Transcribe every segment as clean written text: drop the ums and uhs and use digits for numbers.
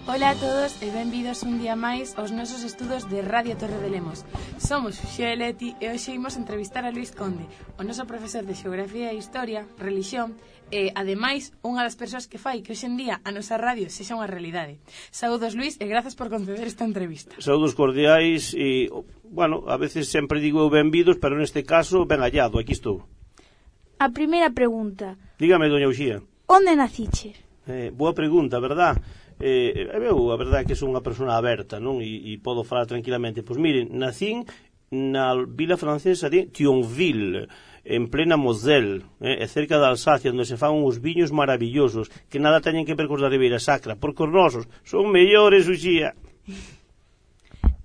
Ola a todos e benvidos un día máis aos nosos estudos de Radio Torre de Lemos. Somos Xuxa e Leti e hoxe imos entrevistar a Luís Conde, o noso profesor de Xeografía e Historia, Relixión e, ademais, unha das persoas que fai que hoxe en día a nosa radio sexa unha realidade. Saúdos, Luís, e grazas por conceder esta entrevista. Saúdos cordiais e, bueno, a veces sempre digo eu benvidos, pero neste caso ben hallado, aquí estou. A primeira pregunta. Dígame, doña Uxía. Onde naciches? Boa pregunta, verdad? Eu, a verdade é que sou unha persona aberta, non? E podo falar tranquilamente. Pois miren, nacín na vila francesa de Thionville, en plena Moselle, cerca da Alsacia, onde se fan uns viños maravillosos que nada teñen que ver cos da Ribeira Sacra, porque os nosos son mellores, Uxía.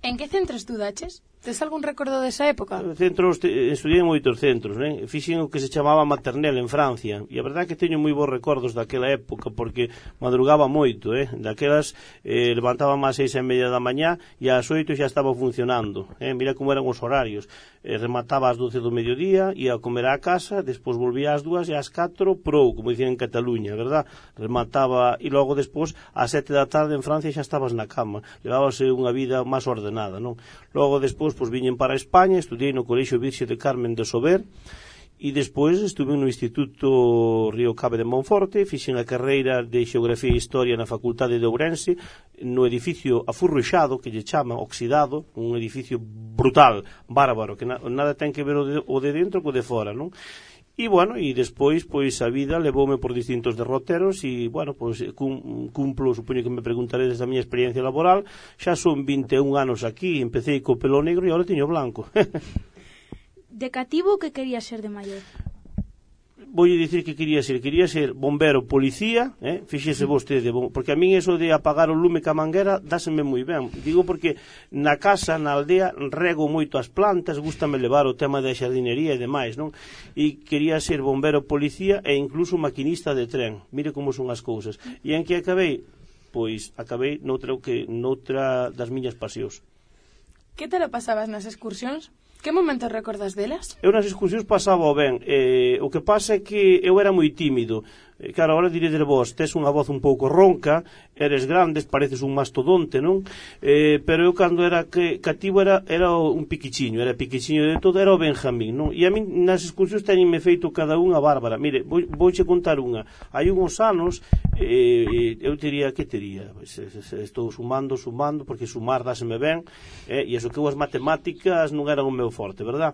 En que centro estudaches? Tes algún recordo desa época? Estudiei en moitos centros, né? Fixen o que se chamaba Maternelle en Francia, e a verdade é que teño moi bons recordos daquela época, porque madrugaba moito, daquelas levantaba máis 6:30 da mañá e ás 8 xa estaba funcionando, mira como eran os horarios, remataba ás 12 do mediodía, ia a comer á casa, despois volvía ás 2 e ás 4 prou, como dicían en Cataluña, verdad? Remataba, e logo despois ás 7 da tarde en Francia xa estabas na cama, levábase unha vida máis ordenada, non? Logo despois pois viñen para España, estudiei no Colexio Virxe de Carmen de Sober e despois estuve no Instituto Río Cave de Monforte, fixen a carreira de Xeografía e Historia na Facultade de Ourense, no edificio afurruxado, que lle chama, oxidado, un edificio brutal, bárbaro, que nada ten que ver o de dentro co de fora, non? E, bueno, e despois, pois, a vida levoume por distintos derroteros e, bueno, pois, cumplo, supoño que me preguntaredes da miña experiencia laboral, xa son 21 anos aquí, empecé co pelo negro e agora teño blanco. De cativo, que querías ser de maior? Voulle dicir que quería ser bombero, policía, fíxese vostede, porque a min eso de apagar o lume ca manguera dáseme moi ben. Digo porque na casa, na aldea, rego moito as plantas, gústame levar o tema da xardinería e demais, non? E quería ser bombero, policía e incluso maquinista de tren. Mire como son as cousas. E en que acabei? Pois acabei noutra das miñas pasións. Que te lo pasabas nas excursións? Que momentos recordas delas? Eu nas excursións pasaba ben. O que pasa é que eu era moi tímido. Claro, agora diredes vos, tes unha voz un pouco ronca, eres grandes, pareces un mastodonte, non? Pero eu cando era cativo era un piquichiño, era piquichiño de todo, era o Benjamín, non? E a min nas excursións teñenme feito cada unha bárbara. Mire, vouche contar unha. Hai uns anos, eu tería, que tería? Estou sumando, porque sumar dáseme ben, e iso que eu as matemáticas non eran o meu forte, verdad?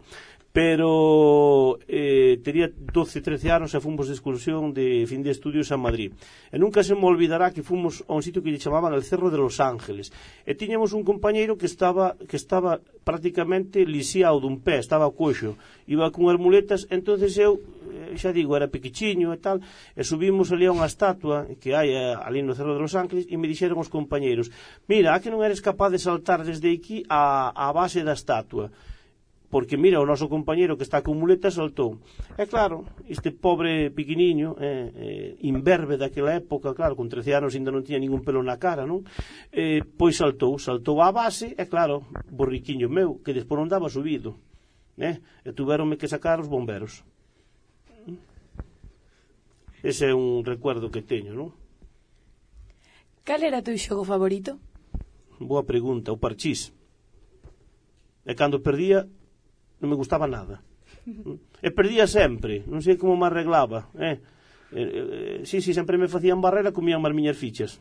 Pero tería 12, 13 anos e fomos de excursión de fin de estudios a Madrid. E nunca se me olvidará que fomos a un sitio que lle chamaban el Cerro de Los Ángeles. E tiñamos un compañeiro que estaba prácticamente lisiado dun pé, estaba coxo, iba con as muletas, entonces eu, xa digo, era pequichiño e tal, e subimos ali a unha estatua que hai ali no Cerro de Los Ángeles e me dixeron os compañeiros, mira, a que non eres capaz de saltar desde aquí á base da estatua? Porque mira, o noso compañeiro que está con muletas saltou. E claro, este pobre piquiniño, imberbe daquela época, claro, con 13 anos ainda non tiña ningún pelo na cara, non? Pois saltou á base, e claro, borriquiño meu, que despois non daba subido, e tuveronme que sacar os bomberos. Ese é un recuerdo que teño, non? Cal era o teu xogo favorito? Boa pregunta, o parchís. E cando perdía non me gustaba nada. E perdía sempre, non sei como me arreglaba. Sí, sempre me facían barrera, comían as miñas fichas.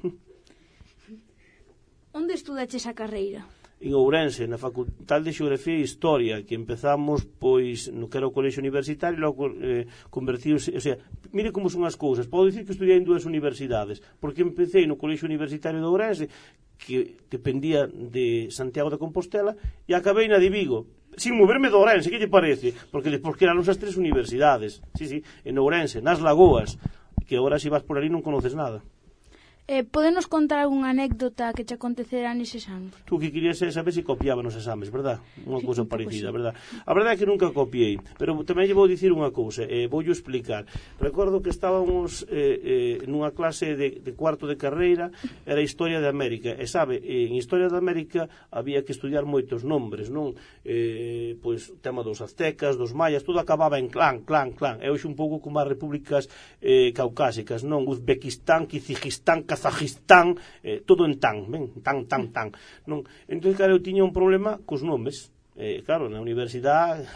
Onde estudaches a carreira? En Ourense, na Facultade de Xeografía e Historia, que empezamos, pois, no que era o colexio universitario, e logo convertidos, o sea, mire como son as cousas. Podo dicir que estudiei en 2 universidades, porque empecé no colexio universitario de Ourense, que dependía de Santiago de Compostela, e acabei na de Vigo, sin moverme de Ourense, que lle parece? Porque despois que eran as 3 universidades, sí, en Ourense, nas Lagoas, que agora se vas por ali non conoces nada. Podenos contar algunha anécdota que che acontecera neses anos? Tú que querías saber se copiaba nos exames, verdad? Unha cousa parecida, verdad? A verdade é que nunca copiei, pero tamén lle vou dicir unha cousa, voulle explicar. Recordo que estábamos nunha clase de cuarto de carreira, era Historia de América, e sabe, en Historia de América había que estudiar moitos nombres, non? Pois o tema dos aztecas, dos mayas, todo acababa en clan, e hoxe un pouco como as repúblicas caucásicas, non? Uzbekistán, Kizigistán, Kazajistán, todo en tan, ben, tan, non? Entón, claro, eu tiña un problema cos nomes. Claro, na universidade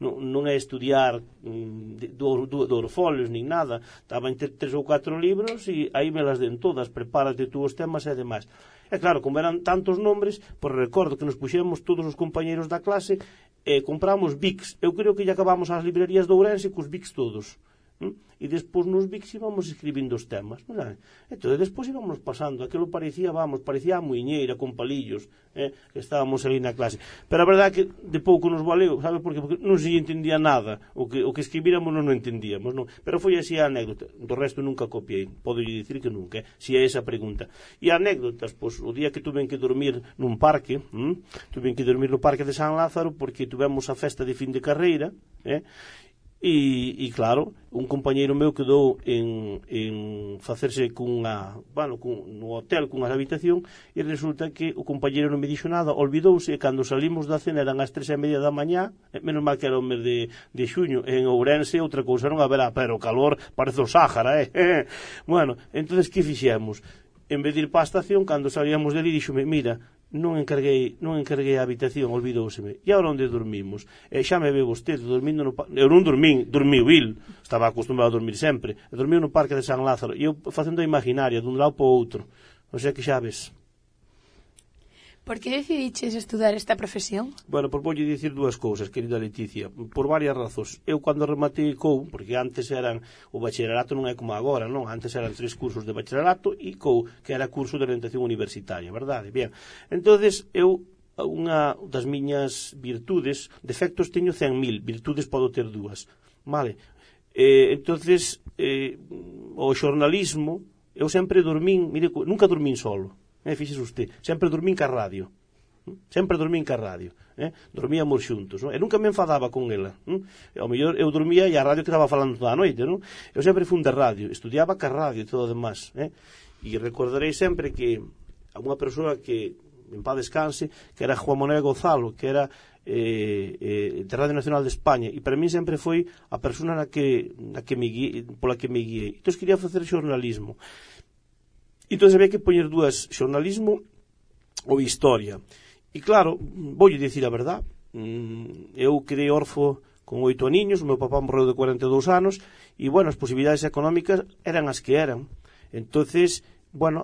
non é estudiar do folios nin nada, estaba entre 3 ou 4 libros e aí me las den todas, prepárate tú os temas e demais. E claro, como eran tantos nombres, pois recordo que nos puxemos todos os compañeros da clase e compramos Bics. Eu creo que lle acabamos as librerías de Ourense cos Bics todos. E despois nos Bics íbamos escribindo os temas, non? Entón, despois íbamos pasando, aquilo parecía a muiñeira con palillos, que estábamos ali na clase, pero a verdade é que de pouco nos valeu, sabe por qué? Porque non se entendía nada, o que escribíramos non entendíamos, non? Pero foi así a anécdota, do resto nunca copiei, podo dicir que nunca, si é esa pregunta. E anécdotas, pois, o día que tuven que dormir nun parque, tuven que dormir no parque de San Lázaro, porque tuvemos a festa de fin de carreira, E claro, un compañeiro meu quedou en facerse no hotel cunha habitación e resulta que o compañeiro non me dixo nada, olvidouse e cando salimos da cena eran as 3:30 da mañá, menos mal que era o mes de xuño, en Ourense outra cousa non haberá, pero o calor parece o Sáhara, Bueno, entonces que fixemos? En vez de ir para a estación, cando salíamos dali, díxome, mira, non encarguei a habitación, olvidouseme. E agora onde dormimos? Xa me ve vostede dormindo no parque. Eu non dormiu il, estaba acostumbrado a dormir sempre. Dormiu no parque de San Lázaro. E eu facendo a imaginaria, dun lado para o outro. O sea que xa ves. Por que decidiches estudar esta profesión? Bueno, pois voulle dicir dúas cousas, querida Leticia, por varias razóns. Eu cando rematei COU, porque antes eran o bacharelato non é como agora, non? Antes eran 3 cursos de bacharelato e COU, que era curso de orientación universitaria, verdade? Bien. Entonces, eu unha das miñas virtudes, defectos teño 100.000, virtudes podo ter 2, vale? Entonces, o xornalismo, eu sempre dormín, mire, nunca dormín solo. Fíxese usted, sempre dormín ca radio, dormíamos xuntos, e nunca me enfadaba con ela, ao mellor eu dormía e a radio que estaba falando toda a noite, non? Eu sempre fun de radio, estudiaba ca radio e todo o demás, e recordarei sempre que a unha persoa que en paz descanse, que era Juan Manuel Gonzalo, que era de Radio Nacional de España, e para mí sempre foi a persona pola que me guiei. Entón quería facer xornalismo. Entón había que poñer dúas, xornalismo ou historia. E claro, voulle dicir a verdad, eu quedei orfo con 8 aniños, o meu papá morreu de 42 anos, e, bueno, as posibilidades económicas eran as que eran. Entonces, bueno,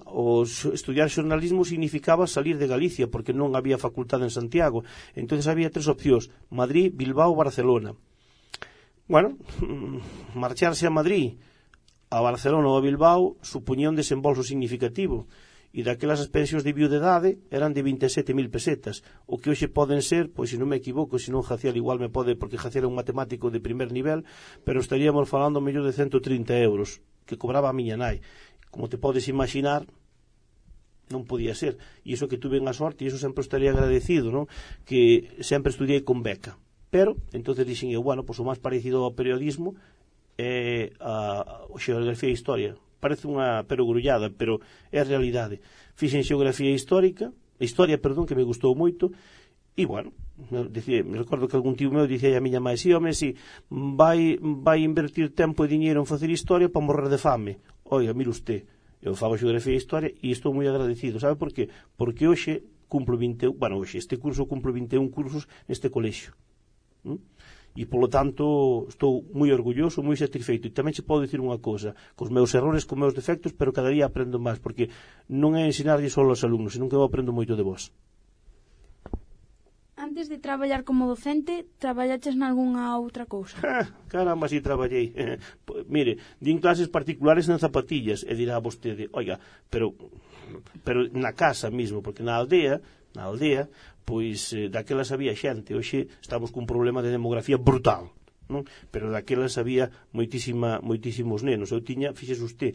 estudiar xornalismo significaba salir de Galicia, porque non había facultade en Santiago. Entonces había 3 opcións, Madrid, Bilbao, Barcelona. Bueno, marcharse a Madrid, a Barcelona ou a Bilbao supoñía un desembolso significativo e daquelas as pensións de viudedade eran de 27.000 pesetas, o que hoxe poden ser, pois se non me equivoco, se non Jacial igual me pode, porque Jacial é un matemático de primer nivel, pero estaríamos falando mellor de 130 euros que cobraba a miña nai. Como te podes imaginar, non podía ser, e iso que tuve a sorte, e iso sempre estaría agradecido, non? Que sempre estudiei con beca, pero entonces dixen eu, bueno, pois o máis parecido ao periodismo a xeografía e historia. Parece unha perogrullada, pero é a realidade. Fixen xeografía e historia, que me gustou moito, e, bueno, me recordo que algún tío meu dicía a miña mãe, si, home, si, vai invertir tempo e diñeiro en facer historia para morrer de fame. Oiga, mire usted, eu fago xeografía e historia e estou moi agradecido. Sabe por qué? Porque hoxe cumplo 21, bueno, hoxe este curso cumplo 21 cursos neste colexio. E, polo tanto, estou moi orgulloso, moi satisfeito. E tamén se pode dicir unha cousa, cos meus errores, cos meus defectos, pero cada día aprendo máis, porque non é ensinarlle só aos alumnos, senón que eu aprendo moito de vos. Antes de traballar como docente, traballaches nalgúnha outra cousa? Caramba, si traballei. Mire, din clases particulares en zapatillas, e dirá vostede, oiga, pero na casa mismo, porque na aldea, pois daquelas había xente, hoxe estamos cun problema de demografía brutal, non? Pero daquelas había moitísimos nenos. Eu tiña, fíxese usted,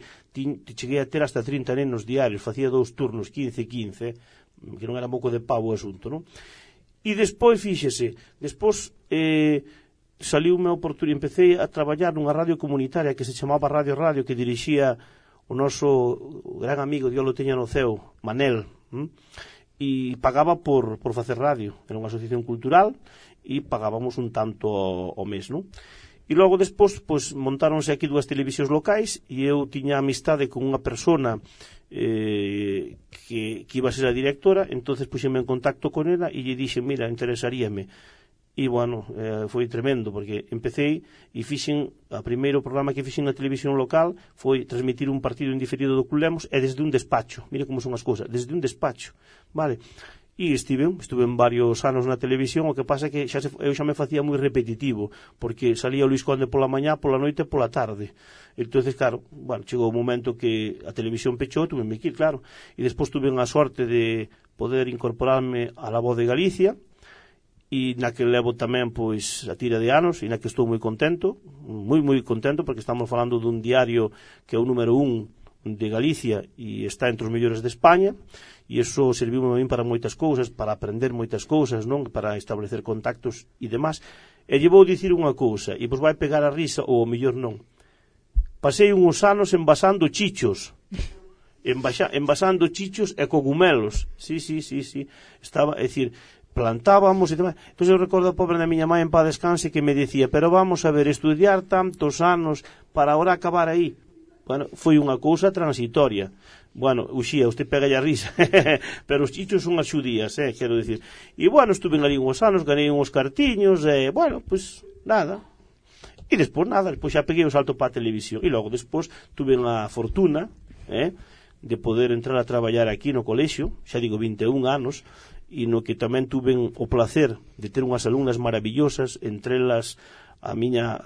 cheguei a ter hasta 30 nenos diarios, facía 2 turnos, 15, que non era pouco de pavo o asunto, non? E despois, fíxese, saliu-me a oportunidade, empecé a traballar nunha radio comunitaria que se chamaba Radio, que dirixía o noso gran amigo, Dios lo teña no ceo, Manel, e pagaba por facer radio. Era unha asociación cultural e pagábamos un tanto ao mes, non? E logo despois, pois, montáronse aquí 2 televisións locais e eu tiña amistade con unha persona que iba a ser a directora, entonces puxeme en contacto con ela e lle dixe, mira, interesaríame. E, bueno, foi tremendo, porque empecé e fixen, o primeiro programa que fixen na televisión local foi transmitir un partido indiferido do Club Lemos, e desde un despacho, mire como son as cousas, desde un despacho, vale? E estuve en varios anos na televisión, o que pasa é que eu xa me facía moi repetitivo, porque salía o Luis Conde pola mañá, pola noite e pola tarde. Entonces, claro, bueno, chegou o momento que a televisión pechou, tuve que ir, claro, e despois tuve a sorte de poder incorporarme a La Voz de Galicia, e na que levo tamén pois a tira de anos e na que estou moi contento, moi contento, porque estamos falando dun diario que é o número 1 de Galicia e está entre os mellores de España, e iso serviu a min para moitas cousas, para aprender moitas cousas, non, para establecer contactos e demás. E lle vou dicir unha cousa, e pois vai pegar a risa ou o mellor non. Pasei uns anos envasando chichos, envasando chichos e cogumelos. Sí. Estaba, é dicir, plantábamos e demais. Entón eu recordo a pobre da miña mãe en paz descanse que me decía, pero vamos a ver, estudiar tantos anos para ahora acabar aí. Bueno, foi unha cousa transitoria. Bueno, uxía, usted pega a risa, pero os chichos son as xudías, quero dicir. E bueno, estuve ali uns anos, ganei uns cartiños, bueno, pues nada. E despois nada, despois xa peguei o salto para a televisión. E logo despois tuve a fortuna, de poder entrar a traballar aquí no colexio, xa digo 21 anos, e no que tamén tuve o placer de ter unhas alumnas maravillosas, entre elas a miña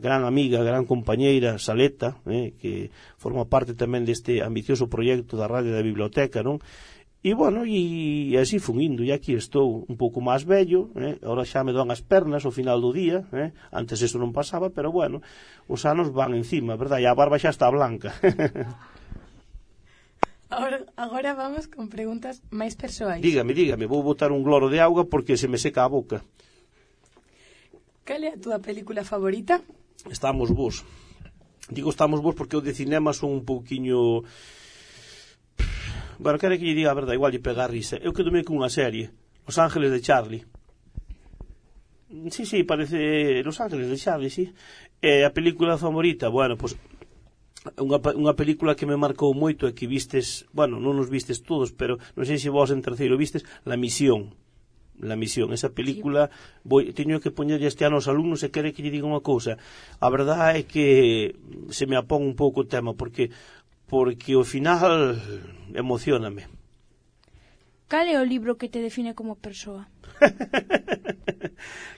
gran amiga, gran compañeira Saleta, que forma parte tamén deste ambicioso proxecto da Radio da Biblioteca, non? E, bueno, e así fun indo, e aquí estou un pouco máis vello, agora xa me doan as pernas ao final do día, antes eso non pasaba, pero, bueno, os anos van encima, verdad? E a barba xa está blanca. Agora vamos con preguntas máis persoais. Dígame, vou botar un gloro de auga porque se me seca a boca. Cal é a túa película favorita? Estamos vos. Digo estamos vos porque o de cinema son un pouquiño... Bueno, quero que lle diga a verdade, igual lle pega a risa. Eu quedome con unha serie, Los Ángeles de Charlie. Sí, parece Los Ángeles de Charlie, sí. A película favorita, bueno, pois... Unha película que me marcou moito e que vistes, bueno, non nos vistes todos, pero non sei se vos en terceiro vistes, La Misión, esa película, teño que poñerlle este ano aos alumnos e quere que lle diga unha cousa. A verdade é que se me apón un pouco o tema, porque ao final emocioname. Cal é o libro que te define como persoa?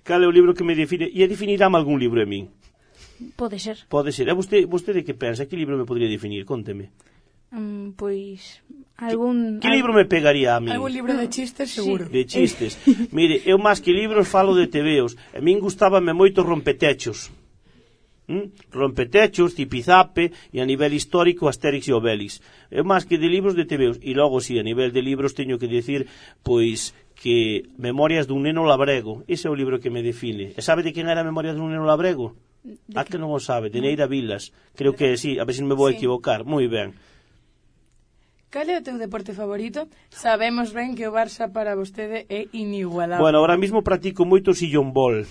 Cal é o libro que me define? E definirame algún libro a min? Pode ser. E vostede que pensa? Que libro me podría definir? Conteme. Pois algún... Que libro me pegaría a mí? Algún libro de chistes, seguro. De chistes. Mire, eu máis que libros falo de tebeos. A min gustábame moito Rompetechos. Rompetechos, Zipizape e a nivel histórico Astérix e Obélix. Eu máis que de libros de tebeos. E logo, si, a nivel de libros teño que decir, pois, que Memorias dun neno labrego. Ese é o libro que me define. E sabe de quen era Memorias dun neno labrego? Que non o sabe, de Neira Vilas. Creo que sí, a ver se me vou equivocar. Moi ben. Cal é o teu deporte favorito? Sabemos ben que o Barça para vostede é inigualable. Bueno, ahora mismo practico moito sillón bol.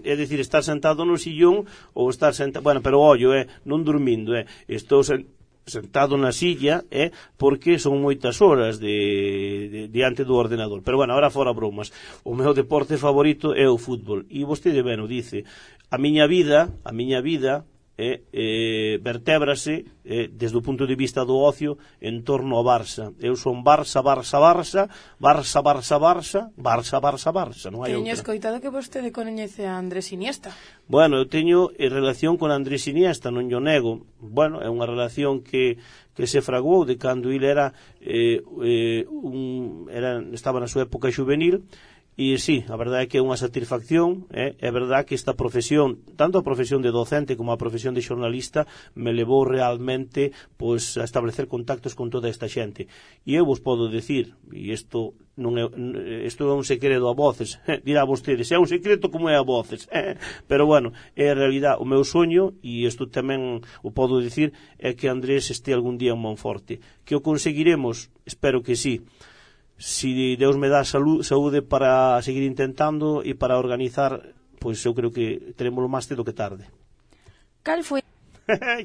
É dicir, estar sentado no sillón ou estar sentado... Bueno, pero ollo, non dormindo, estou sentado na silla, porque son moitas horas diante do ordenador. Pero, bueno, ahora fora bromas. O meu deporte favorito é o fútbol. E vostede ben o dice. A miña vida vertébrase desde o punto de vista do ocio en torno ao Barça. Eu son Barça, non hai outra. Teño escoitado que vostede coñece a Andrés Iniesta. Bueno, eu teño relación con Andrés Iniesta, non yo nego. Bueno, é unha relación que se fraguou de cando ele estaba na súa época juvenil. E sí, a verdade é que é unha satisfacción, é verdade que esta profesión, tanto a profesión de docente como a profesión de xornalista, me levou realmente pois a establecer contactos con toda esta xente. E eu vos podo decir, e isto é un segredo a voces, dirá vostedes, é un secreto como é a voces, pero bueno, é a realidade, o meu soño, e isto tamén o podo decir, é que Andrés este algún día en Monforte. Que o conseguiremos? Espero que sí. Si Deus me dá saúde para seguir intentando e para organizar pois eu creo que teremos máis cedo que tarde. Cal foi?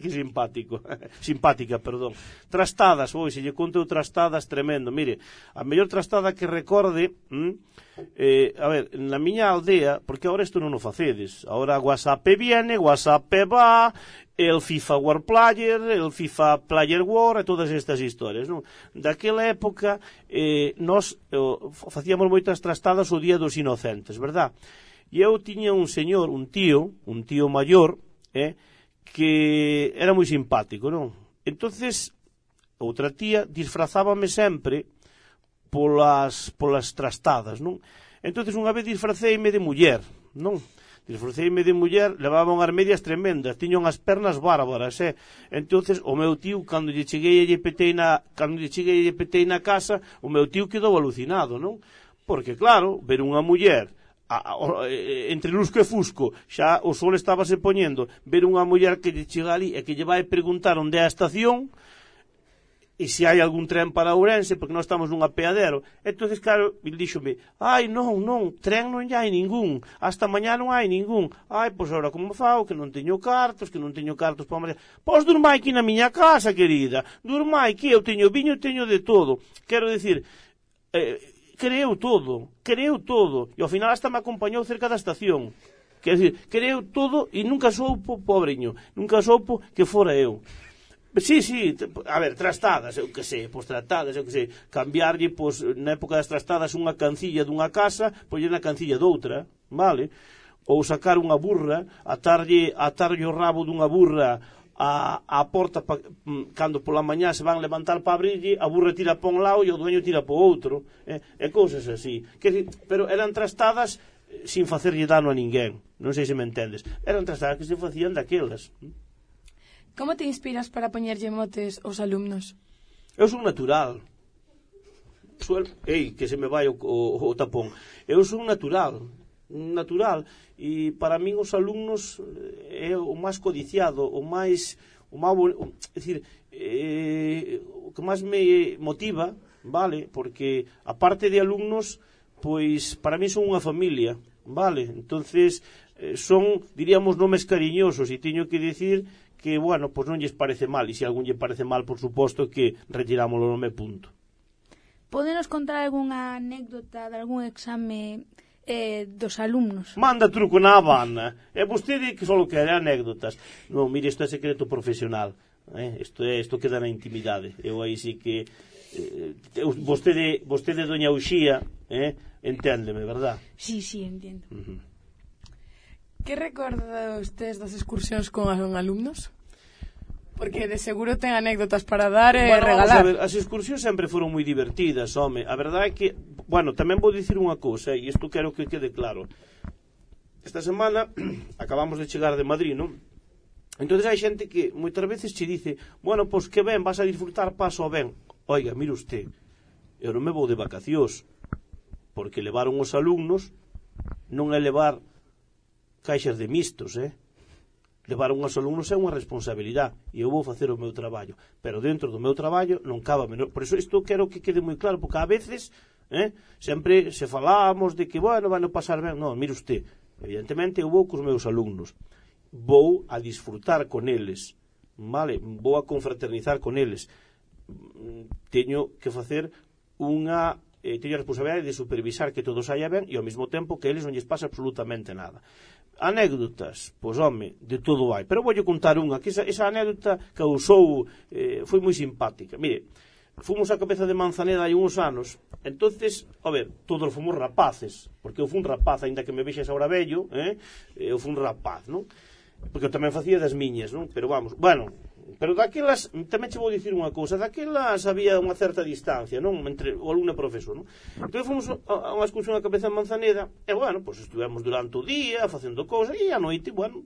Que simpático. Simpática, perdón. Trastadas, se lle conto trastadas tremendo. Mire, a mellor trastada que recorde, a ver, na miña aldea, porque agora isto non o facedes. Agora WhatsApp viene, WhatsApp va, el FIFA War Player, el FIFA Player War e todas estas historias, non? Daquela época nós facíamos moitas trastadas o Día dos Inocentes, verdad? E eu tiña un señor, un tío maior, que era moi simpático, non? Entonces, outra tía disfrazábame sempre polas trastadas, non? Entonces, unha vez disfraceime de muller, non? Disfraceime de muller, levaba unhas medias tremendas, tiña unhas pernas bárbaras, Entonces, o meu tío, cando lle cheguei e lle petei na casa, o meu tío quedou alucinado, non? Porque, claro, ver unha muller entre lusco e fusco, xa o sol estaba se poñendo, ver unha muller que lle chega ali e que lle vai preguntar onde é a estación e se hai algún tren para Ourense, porque nós estamos nunha peadero. Entonces, claro, ele díxome, non, tren non hai ningún, hasta mañá non hai ningún. Pois agora como fao, que non teño cartos para mañá. Pois durmai aquí na miña casa, querida, durmai que eu teño viño, teño de todo. Quero dicir, creeu todo, e ao final hasta me acompañou cerca da estación. Quer dizer, creeu todo e nunca soupo, pobreño, nunca soupo que fora eu. Sí, a ver, trastadas, eu que sei, cambiarlle, na época das trastadas, unha cancilla dunha casa, pois na cancilla doutra, vale? Ou sacar unha burra, atarlle o rabo dunha burra a porta, cando pola mañá se van levantar para abrirlle, a burra tira pa un lado e o dueño tira pa outro, e cousas así. Pero eran trastadas sin facerlle dano a ninguén, non sei se me entendes. Eran trastadas que se facían daquelas. Como te inspiras para poñerlle motes aos alumnos? Eu son natural. Que se me vai o tapón. Eu son natural, e para min os alumnos é o máis codiciado, o que máis me motiva, vale? Porque a parte de alumnos, pois para min son unha familia, vale? Entonces son, diríamos, nomes cariñosos, e teño que dicir que, bueno, pois non lles parece mal, e se algún lle parece mal, por suposto que retiramos o nome, punto. Podenos contar algunha anécdota de algún exame dos alumnos? Manda truco na Habana. E vostede que só quere anécdotas. Non, mire, isto é secreto profesional. Isto queda na intimidade. Eu aí sí que vostede doña Uxía, enténdeme, verdad? Sí, entiendo. Que recorda ustedes das excursións con alumnos? Porque de seguro ten anécdotas para dar e regalar. Vamos a ver, as excursións sempre foron moi divertidas, home. A verdade é que, bueno, tamén vou dicir unha cousa, e isto quero que quede claro. Esta semana acabamos de chegar de Madrid, non? Entón hai xente que moitas veces che dice, bueno, pois que ben, vas a disfrutar, paso ben. Oiga, mire usted, eu non me vou de vacacións, porque levaron os alumnos non é levar caixas de mistos, levar unhos alumnos é unha responsabilidade, e eu vou facer o meu traballo, pero dentro do meu traballo non cabe menor. Por iso isto quero que quede moi claro, porque a veces sempre se falamos de que, bueno, van a pasar ben. Non, mire usted, evidentemente eu vou cos meus alumnos, vou a disfrutar con eles, vale? Vou a confraternizar con eles, teño que facer teño a responsabilidade de supervisar que todo saia ben, e ao mesmo tempo que eles non lles pasa absolutamente nada. Anécdotas, pois home, de todo hai, pero voulle contar unha, que esa anécdota causou, foi moi simpática. Mire, fomos a Cabeza de Manzaneda hai uns anos, entonces, a ver, todos fomos rapaces, porque eu fui un rapaz, aínda que me vexes ahora vello, eu fui un rapaz, non? Porque eu tamén facía das miñas, non? Pero vamos, bueno, pero daquelas, tamén che vou dicir unha cousa, daquelas había unha certa distancia, non? Entre o alumno e o profesor, non? Entón fomos a unha excursión a Cabeza de Manzaneda, e, bueno, pois estivemos durante o día facendo cousas, e a noite, bueno,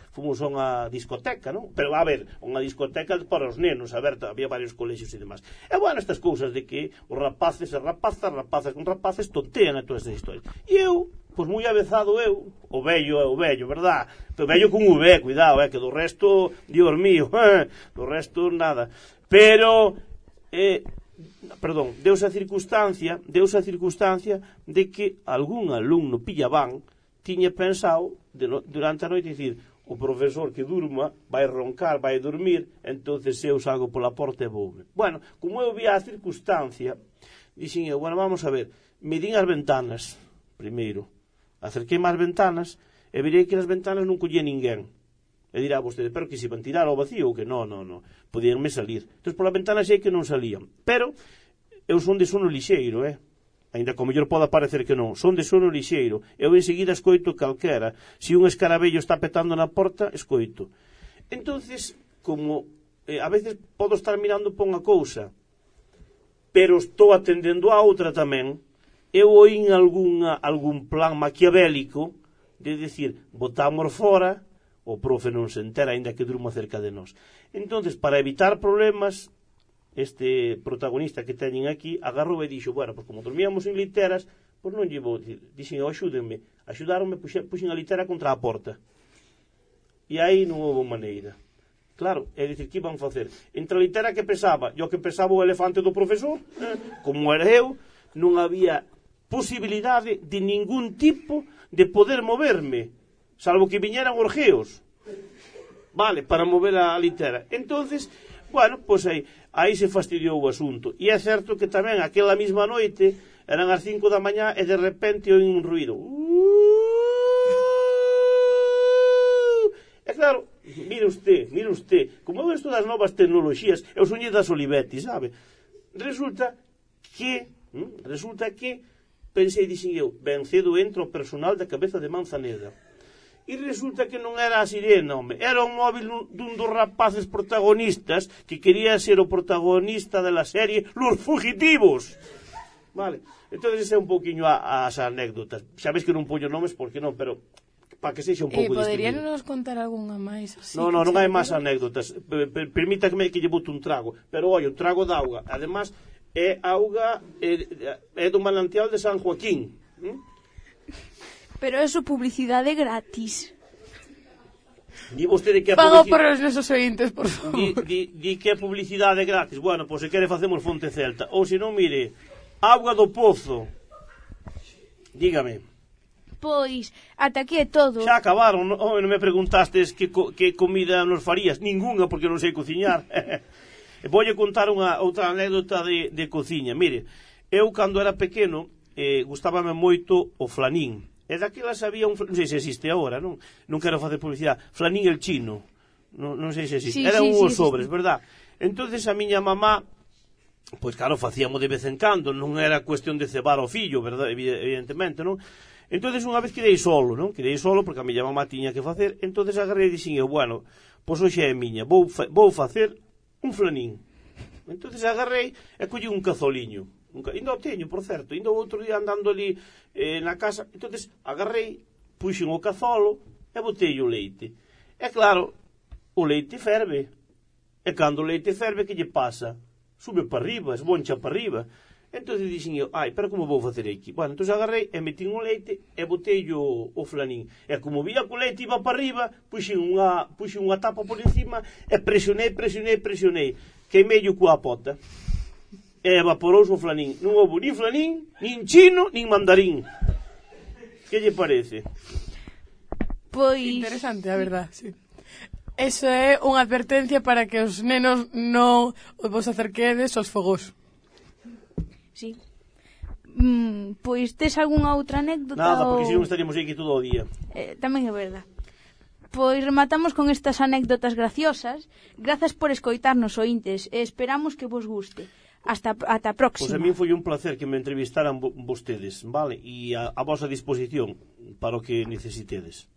fomos a unha discoteca, non? Pero, a ver, unha discoteca para os nenos, a ver, había varios colexios e demais. E, bueno, estas cousas de que os rapaces e rapazas con rapaces tontean a todas estas historias. E eu, pois moi avezado eu, o vello, verdad? Pero vello con V, cuidado, que do resto, Dios mío, do resto nada. Pero, deuse a circunstancia de que algún alumno pillabán tiña pensado durante a noite dicir, o profesor que durma vai roncar, vai dormir, entonces eu salgo pola porta e voume. Bueno, como eu vi a circunstancia, dixen eu, bueno, vamos a ver, medín as ventanas primeiro, acerquei máis ventanas e virei que nas ventanas non collía ninguén. E dirá vostede, pero que se iban tirar ao vacío ou que non, podíanme salir. Entón, pola ventana sei que non salían. Pero eu son de sono lixeiro, Ainda como mellor poda parecer que non. Son de sono lixeiro. Eu enseguida escoito calquera. Se un escarabello está petando na porta, escoito. Entonces, como a veces podo estar mirando por unha cousa, pero estou atendendo a outra tamén, eu oín algún plan maquiavélico de decir, botamos fora, o profe non se entera, aínda que durma cerca de nós. Entonces, para evitar problemas, este protagonista que teñen aquí agarrou e dixo, bueno, pues como dormíamos en literas, pois non lle vou dicir. Dixen, axúdenme. Axudaronme, puxen a litera contra a porta. E aí non houve maneira. Claro, é dicir, que iban facer? Entre a litera que pesaba e o que pesaba o elefante do profesor, como era eu, non había posibilidade de ningún tipo de poder moverme, salvo que viñeran orgeos, vale, para mover a litera. Entonces, bueno, pois aí se fastidiou o asunto. E é certo que tamén aquela mesma noite eran as 5 da mañá e de repente oín un ruido. E claro, mire usted, como eu esto das novas tecnoloxías, eu soñei das Olivetti, sabe? Resulta que pensei, dixen eu, ben cedo entra o personal da cabeza de Manzaneda. E resulta que non era a sirena, home. Era un móvil dun dos rapaces protagonistas que quería ser o protagonista da serie Los Fugitivos. Vale. Entón, ese é un pouquiño as anécdotas. Sabes que non poño nomes porque non, pero para que sexa un pouco distinguido. Poderíanos contar algunha máis? Non hai máis anécdotas. Permítame que lle bote un trago. Pero, oi, un trago de auga. Además, é auga é do manantial de San Joaquín. Pero eso publicidade gratis. Di vostede que é Pago por os nosos ointes, por favor. Di que é publicidade gratis. Bueno, pois se quere facemos Fonte Celta. Ou se non, mire, Auga do Pozo. Dígame. Pois, ata aquí é todo. Xa acabaron, non me preguntastes que comida nos farías. Ningunha, porque non sei cociñar. Voulle contar outra anécdota de cociña. Mire, eu cando era pequeno gustábame moito o flanín. E daquelas había non sei se existe agora, non quero facer publicidade, flanín el chino, non sei se existe, eran uns sobres, verdad? Entonces a miña mamá, pois claro, facíamos de vez en cando, non era cuestión de cebar o fillo, verdad? Evidentemente, non? Entonces unha vez quedei solo, non? Quedei solo porque a miña mamá tiña que facer, entonces agarrei e dixen eu, bueno, pois hoxe é miña, vou facer un flanín. Entonces agarrei e collí un cazoliño. Ainda o teño, por certo, ainda o outro día andando ali na casa, entonces agarrei, puxen o cazolo e botei o leite. E claro, o leite ferve. E cando o leite ferve, que lle pasa? Sube para arriba, esboncha para arriba. Entonces dixen eu, pero como vou facer aquí? Bueno, entonces agarrei e metín o leite e botei o flanín. E como vía que o leite iba para arriba, puxen unha tapa por encima e presionei. Queimeillo coa pota. E evaporouse o flanín. Non houve nin flanín, nin chino, nin mandarín. Que lle parece? Pois... Interesante, a verdad, sí. Eso é unha advertencia para que os nenos non vos acerquedes aos fogos. Sí. Pois tes algunha outra anécdota? Nada, porque se non estaríamos aquí todo o día. Tamén é verdad. Pois rematamos con estas anécdotas graciosas. Grazas por escoitarnos, ointes, e esperamos que vos guste. Ata a próxima. Pois a mí foi un placer que me entrevistaran vostedes, vale? E a vosa disposición para o que necesitedes.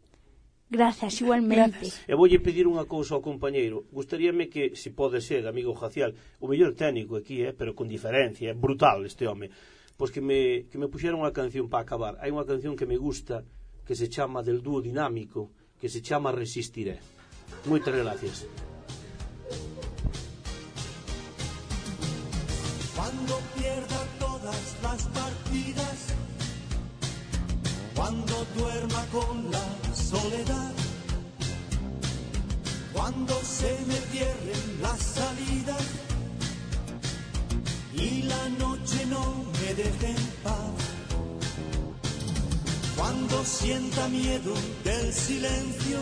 Grazas, igualmente. E voulle pedir unha cousa ao compañeiro. Gustaríame que, se pode ser, amigo Jacial, o mellor técnico aquí, pero con diferencia, é brutal este home, pois que me puxeron unha canción para acabar. Hai unha canción que me gusta, que se chama Del Dúo Dinámico, que se chama Resistiré. Moitas gracias. Cuando pierda todas las partidas, cuando duerma con la soledad, cuando se me cierren las salidas y la noche no me deje en paz, cuando Cuando sienta miedo del silencio,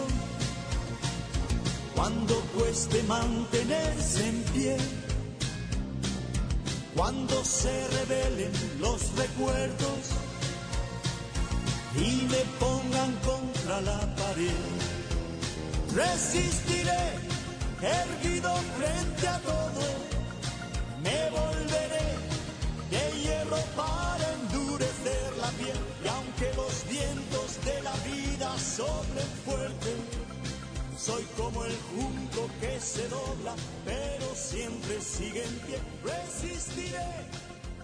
cuando cueste mantenerse en pie, cuando se rebelen los recuerdos y me pongan contra la pared, resistiré erguido frente a todo, me volveré de hierro para endurecer la piel, y aunque los vientos de la vida soplen fuerte, soy como el junco que se dobla, pero siempre sigue en pie. Resistiré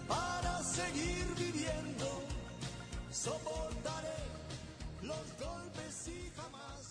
para seguir viviendo, soportaré los golpes y jamás